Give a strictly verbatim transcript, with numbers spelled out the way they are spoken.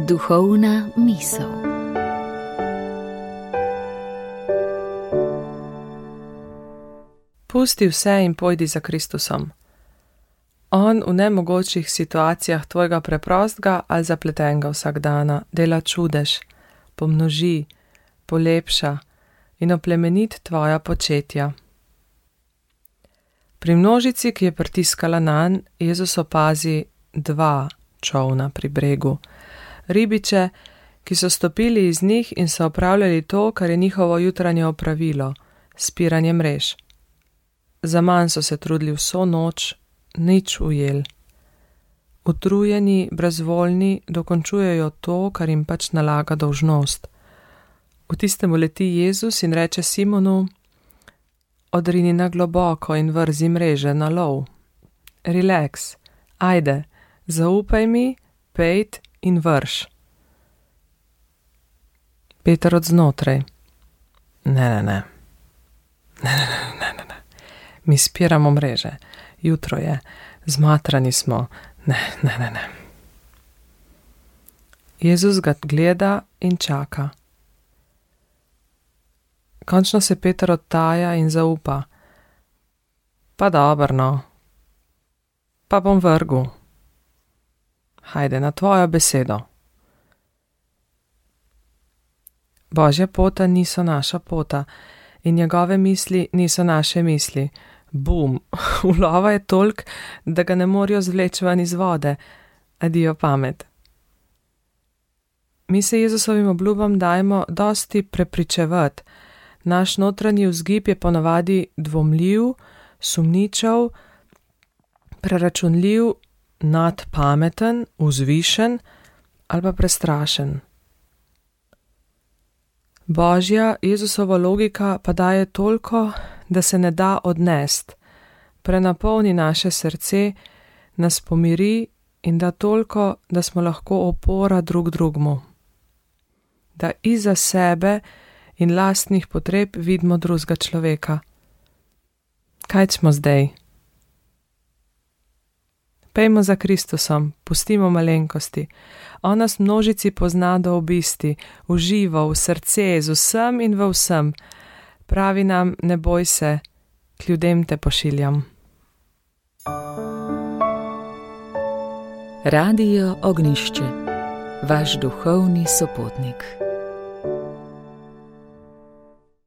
Duhovna misel. Pusti vse in pojdi za Kristusom. On v nemogočih situacijah tvojega preprostega ali zapletenega vsakdana dela čudež, pomnoži, polepša in oplemenit tvoja početja. Pri množici, ki je pritiskala nanj, Jezus opazi dva čolna pri bregu, ribiče, ki so stopili iz njih in so opravljali to, kar je njihovo jutranje opravilo, spiranje mrež. Zaman so se trudili vso noč, nič ujel. Utrujeni, brezvoljni dokončujejo to, kar jim pač nalaga dolžnost. V tistem uleti Jezus in reče Simonu: odrini na globoko in vrzi mreže na lov. Relax, ajde, zaupaj mi, pejt in vrš. Peter od znotraj: ne, ne, ne, ne, ne, ne, ne, ne. Mi spiramo mreže, jutro je, zmatrani smo, ne, ne, ne, ne. Jezus ga gleda in čaka. Končno se Peter odtaja in zaupa. Pa dobro, no. Pa bom vrgel. Hajde, na tvojo besedo. Božja pota niso naša pota in njegove misli niso naše misli. Bum, ulova je tolk, da ga ne morajo zvleči ven iz vode. Adijo pamet. Mi se Jezusovim obljubam dajmo dosti prepričevati. Naš notranji vzgib je ponavadi dvomljiv, sumničav, preračunljiv, nadpameten, vzvišen ali pa prestrašen. Božja, Jezusova logika pa daje toliko, da se ne da odnest, prenapolni naše srce, nas pomiri in da toliko, da smo lahko opora drug drugmu. Da iza sebe in lastnih potreb vidimo drugega človeka. Kaj smo zdaj? Pejmo za Kristusom, pustimo malenkosti. On nas množici pozna do obisti, v živo, v srce, z vsem in v vsem. Pravi nam, ne boj se, k ljudem te pošiljam. Radio Ognjišče, vaš duhovni sopotnik.